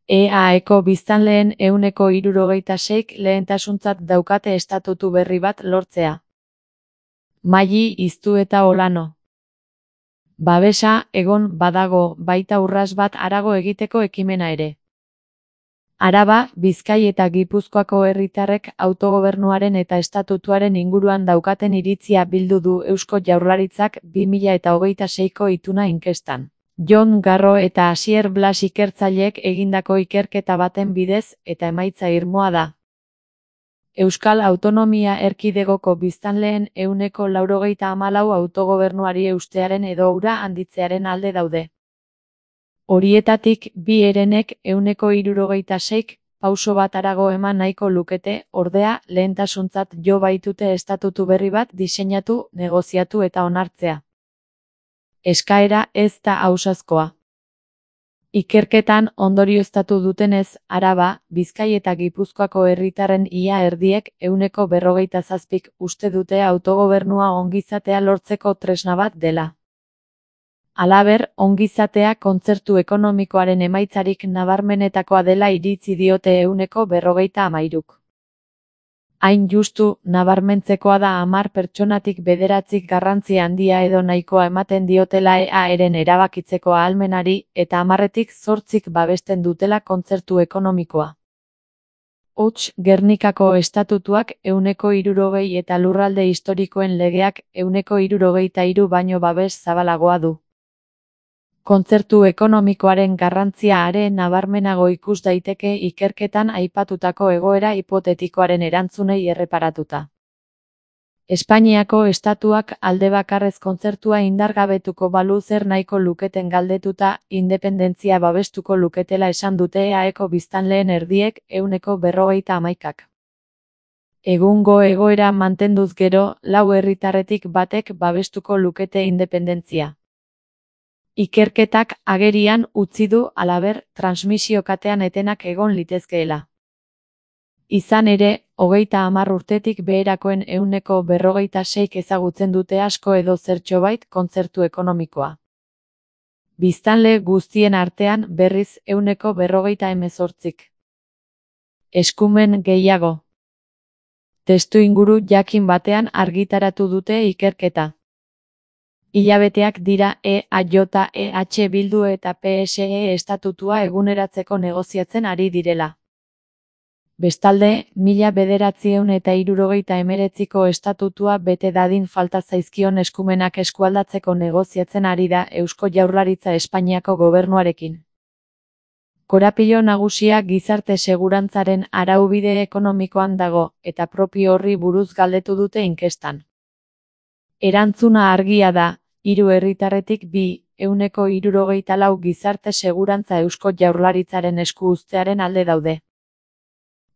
EAeko biztanleen 76%k lehentasuntzat daukate estatutu berri bat lortzea. Maili Iztu eta Olano. Babesa, egon, badago, baita urrats bat harago egiteko ekimena ere. Araba, Bizkai eta Gipuzkoako herritarrek autogobernuaren eta estatutuaren inguruan daukaten iritzia bildu du Eusko Jaurlaritzak 2026ko ituna inkestan. Jon Garro eta Asier Blas ikertzaileek egindako ikerketa baten bidez eta emaitza irmoa da. Euskal Autonomia Erkidegoko biztanleen 94% autogobernuari eustearen edo hura handitzearen alde daude. Horietatik, bi herenek 76%k pauso bat harago eman nahiko lukete, ordea, lehentasuntzat jo baitute estatutu berri bat diseinatu, negoziatu eta onartzea. Eskaera ez da ausazkoa. Ikerketan ondorioztatu dutenez, Araba, Bizkai eta Gipuzkoako herritarren ia erdiek 47%k uste dute autogobernua ongizatea lortzeko tresna bat dela. Halaber, ongizatea kontzertu ekonomikoaren emaitzarik nabarmenetakoa dela iritzi diote 53%k. Hain justu, nabarmentzekoa da 10 pertsonatik 9 garrantzi handia edo nahikoa ematen diotela EAren erabakitzeko ahalmenari eta 10tik 8 babesten dutela kontzertu ekonomikoa. Hots, Gernikako estatutuak 60% eta lurralde historikoen legeak 63% baino babes zabalagoa du. Kontzertu ekonomikoaren garrantzia are nabarmenago ikus daiteke ikerketan aipatutako egoera hipotetikoaren erantzunei erreparatuta. Espainiako estatuak aldebakarrez kontzertua indargabetuko balu zer nahiko luketen galdetuta, independentzia babestuko luketela esan dute EAeko biztanleen erdiek 51%k. Egungo egoera mantenduz gero, 4 herritarretik batek babestuko lukete independentzia. Ikerketak agerian utzi du halaber transmisio katean etenak egon litezkeela. Izan ere, 30 urtetik beherakoen 46%k ezagutzen dute asko edo zertxobait kontzertu ekonomikoa. Biztanle guztien artean berriz 48%k. Eskumen gehiago. Testuinguru jakin batean argitaratu dute ikerketa. Hilabeteak dira EAJ Bildu eta PSE estatutua eguneratzeko negoziatzen ari direla. Bestalde, 1979ko estatutua bete dadin falta zaizkion eskumenak eskualdatzeko negoziatzen ari da Eusko Jaurlaritza Espainiako gobernuarekin. Korapilo nagusia gizarte segurantzaren araubide ekonomikoan dago, eta propio horri buruz galdetu dute inkestan. Erantzuna argia da, 3 herritarretik 2% gizarte segurantza Eusko Jaurlaritzaren esku uztearen alde daude.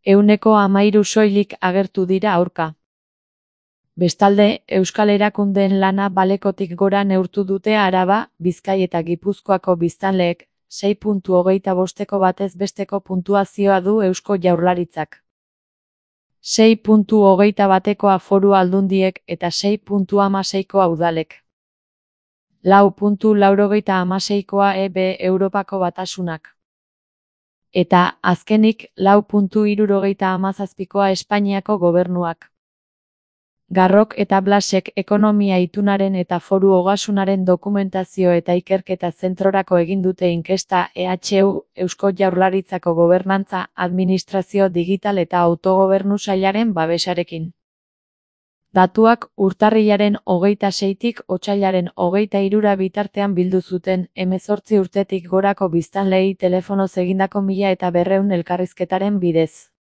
13% soilik agertu dira aurka. Bestalde, Euskal Erakundeen lana balekotik gora neurtu dute Araba, Bizkai eta Gipuzkoako biztanleek, 6.25ko batez besteko puntuazioa du Eusko Jaurlaritzak. 6.21koa foru aldundiek eta 6.16koa udalek. 4.96koa EB Europako Batasunak. Eta, azkenik, 4.77koa Espainiako gobernuak. Garrok eta Blasek ekonomia itunaren eta foru ogasunaren dokumentazio eta ikerketa zentrorako egin dute inkesta EHU, Eusko Jaurlaritzako gobernantza, administrazio digital eta autogobernu sailaren babesarekin. Datuak urtarrilaren 26tik otsailaren 23 bitartean bildu zuten 18 urtetik gorako biztanleei telefonoz egindako 1200 elkarrizketaren bidez.